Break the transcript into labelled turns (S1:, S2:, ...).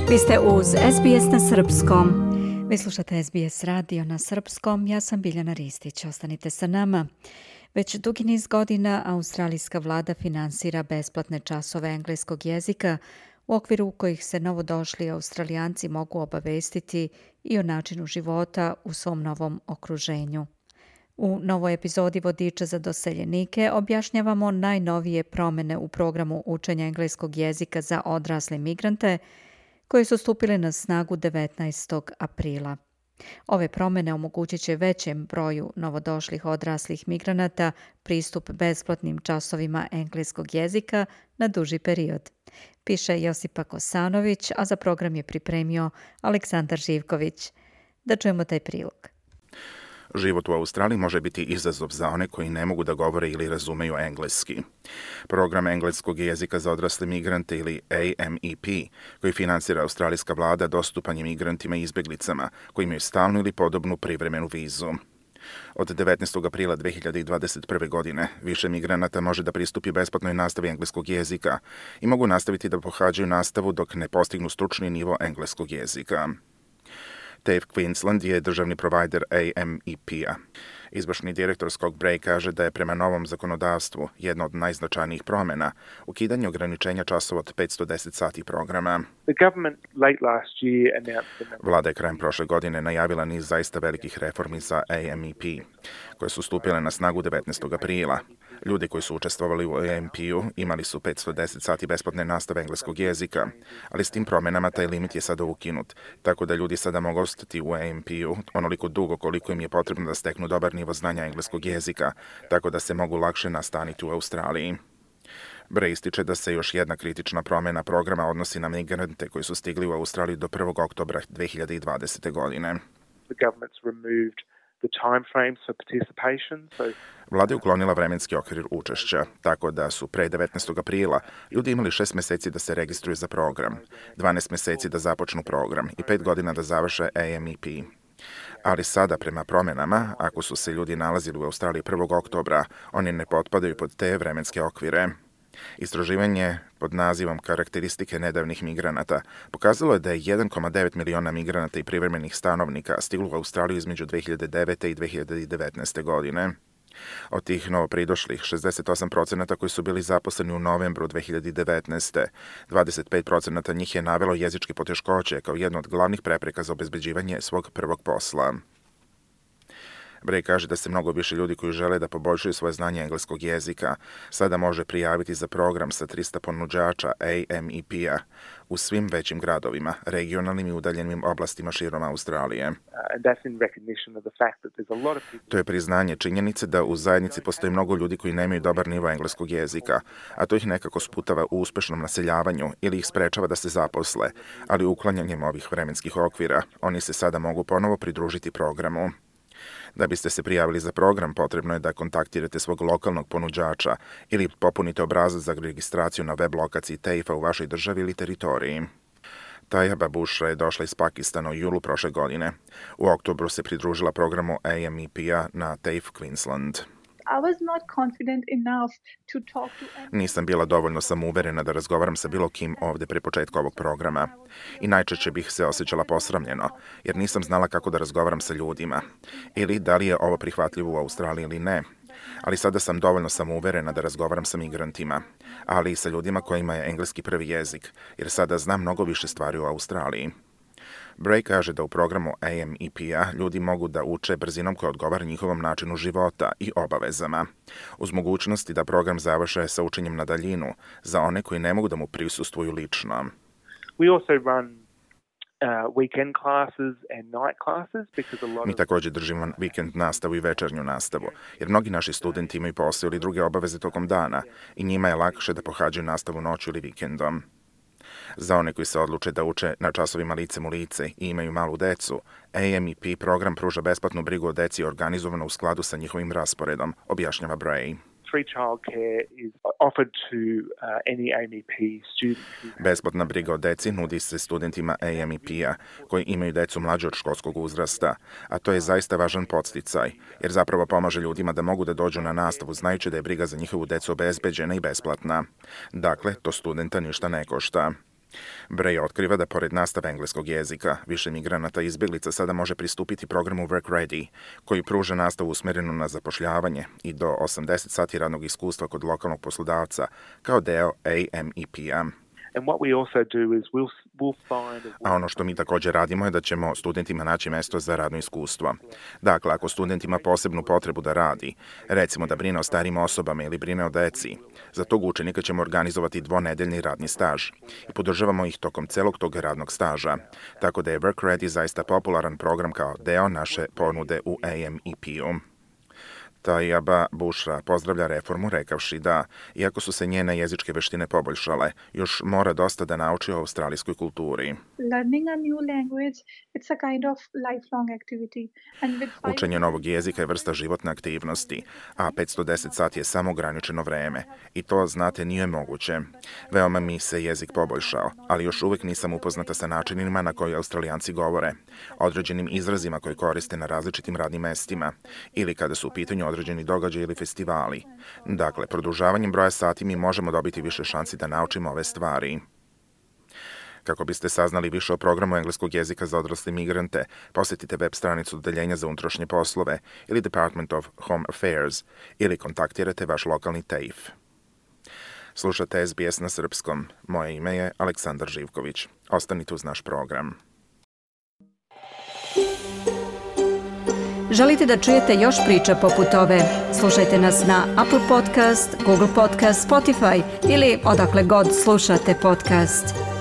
S1: Vi ste uz SBS na srpskom. Vi slušate SBS radio na srpskom. Ja sam Biljana Ristić. Ostanite sa nama. Već dugi niz godina australijska vlada finansira besplatne časove engleskog jezika u okviru kojih se novodošli Australijanci mogu obavestiti i o načinu života u svom novom okruženju. U novoj epizodi Vodiča za doseljenike objašnjavamo najnovije promjene u programu učenja engleskog jezika za odrasle migrante koje su stupile na snagu 19. aprila. Ove promjene omogućit će većem broju novodošlih odraslih migranata pristup besplatnim časovima engleskog jezika na duži period. Piše Josipa Kosanović, a za program je pripremio Aleksandar Živković. Da čujemo taj prilog.
S2: Život u Australiji može biti izazov za one koji ne mogu da govore ili razumeju engleski. Program engleskog jezika za odrasle migrante ili AMEP, koji finansira australijska vlada, dostupan je migrantima i izbjeglicama koji imaju stalnu ili podobnu privremenu vizu. Od 19. aprila 2021. godine više migranata može da pristupi besplatnoj nastavi engleskog jezika i mogu nastaviti da pohađaju nastavu dok ne postignu stručni nivo engleskog jezika. TAFE Queensland je državni provajder AMEP-a. Izvršni direktor Scott Bray kaže da je prema novom zakonodavstvu jedna od najznačajnijih promjena ukidanje ograničenja časova od 510 sati programa. Vlada je krajem prošle godine najavila niz zaista velikih reformi za AMEP, koje su stupile na snagu 19. aprila. Ljudi koji su učestvovali u AMP-u imali su 510 sati besplatne nastave engleskog jezika, ali s tim promjenama taj limit je sada ukinut, tako da ljudi sada mogu ostati u AMP-u onoliko dugo koliko im je potrebno da steknu dobar nivo znanja engleskog jezika, tako da se mogu lakše nastaniti u Australiji. Bray ističe da se još jedna kritična promjena programa odnosi na migrante koji su stigli u Australiju do 1. oktobra 2020. godine. Vlada je uklonila vremenski okvir učešća, tako da su pre 19. aprila ljudi imali 6 mjeseci da se registruju za program, 12 mjeseci da započnu program i 5 godina da završe AMEP. Ali sada, prema promjenama, ako su se ljudi nalazili u Australiji 1. oktobra, oni ne potpadaju pod te vremenske okvire. Istraživanje pod nazivom Karakteristike nedavnih migranata pokazalo je da je 1,9 miliona migranata i privremenih stanovnika stiglo u Australiju između 2009. i 2019. godine. Od tih novopridošlih, 68% koji su bili zaposleni u novembru 2019. 25% njih je navelo jezičke poteškoće kao jednu od glavnih prepreka za obezbeđivanje svog prvog posla. Bray kaže da se mnogo više ljudi koji žele da poboljšaju svoje znanje engleskog jezika sada može prijaviti za program sa 300 ponuđača AMEP-a u svim većim gradovima, regionalnim i udaljenim oblastima širom Australije. To je priznanje činjenice da u zajednici postoji mnogo ljudi koji nemaju dobar nivo engleskog jezika, a to ih nekako sputava u uspešnom naseljavanju ili ih sprečava da se zaposle, ali uklanjanjem ovih vremenskih okvira oni se sada mogu ponovo pridružiti programu. Da biste se prijavili za program, potrebno je da kontaktirate svog lokalnog ponuđača ili popunite obrazac za registraciju na web lokaciji TAFE-a u vašoj državi ili teritoriji. Tajaba Bushra je došla iz Pakistana u julu prošle godine. U oktobru se pridružila programu AMEP-a na TAFE Queensland. Nisam bila dovoljno samouverena da razgovaram sa bilo kim ovdje pre početka ovog programa. I najčešće bih se osjećala posramljeno, jer nisam znala kako da razgovaram sa ljudima. Ili da li je ovo prihvatljivo u Australiji ili ne. Ali sada sam dovoljno samouverena da razgovaram sa migrantima, ali i sa ljudima kojima je engleski prvi jezik, jer sada znam mnogo više stvari u Australiji. Bray kaže da u programu AMEP-a ljudi mogu da uče brzinom koja odgovara njihovom načinu života i obavezama, uz mogućnosti da program završe sa učenjem na daljinu za one koji ne mogu da mu prisustvuju lično. Mi također držimo vikend nastavu i večernju nastavu, jer mnogi naši studenti imaju posao ili druge obaveze tokom dana i njima je lakše da pohađaju nastavu noću ili vikendom. Za one koji se odluče da uče na časovima licem u lice i imaju malu decu, AMEP program pruža besplatnu brigu o deci organizovano u skladu sa njihovim rasporedom, objašnjava Bray. Besplatna briga o deci nudi se studentima AMEP-a koji imaju decu mlađe od školskog uzrasta, a to je zaista važan podsticaj, jer zapravo pomaže ljudima da mogu da dođu na nastavu znajući da je briga za njihovu decu obezbeđena i besplatna. Dakle, to studenta ništa ne košta. Bray otkriva da pored nastave engleskog jezika, više migranata i izbjeglica sada može pristupiti programu Work Ready, koji pruža nastavu usmjerenu na zapošljavanje i do 80 sati radnog iskustva kod lokalnog poslodavca kao deo AMEP-a. A ono što mi također radimo je da ćemo studentima naći mjesto za radno iskustvo. Dakle, ako student ima posebnu potrebu da radi, recimo da brine o starijim osobama ili brine o deci, za tog učenika ćemo organizovati 2-nedeljni radni staž i podržavamo ih tokom celog tog radnog staža. Tako da je Work Ready zaista popularan program kao deo naše ponude u AMEP-u. Tayaba Bushra pozdravlja reformu rekavši da, iako su se njene jezičke veštine poboljšale, još mora dosta da nauči o australijskoj kulturi. Učenje novog jezika je vrsta životne aktivnosti, a 510 sati je samo ograničeno vreme. I to, znate, nije moguće. Veoma mi se jezik poboljšao, ali još uvijek nisam upoznata sa načinima na koji Australijanci govore, određenim izrazima koje koriste na različitim radnim mestima ili kada su u pitanju određeni događaj ili festivali. Dakle, produžavanjem broja sati mi možemo dobiti više šansi da naučimo ove stvari. Kako biste saznali više o programu engleskog jezika za odrasle migrante, posjetite web stranicu Odeljenja za unutrašnje poslove ili Department of Home Affairs ili kontaktirajte vaš lokalni TAFE. Slušate SBS na srpskom. Moje ime je Aleksandar Živković. Ostanite uz naš program.
S1: Želite da čujete još priča poput ove? Slušajte nas na Apple Podcast, Google Podcast, Spotify ili odakle god slušate podcast.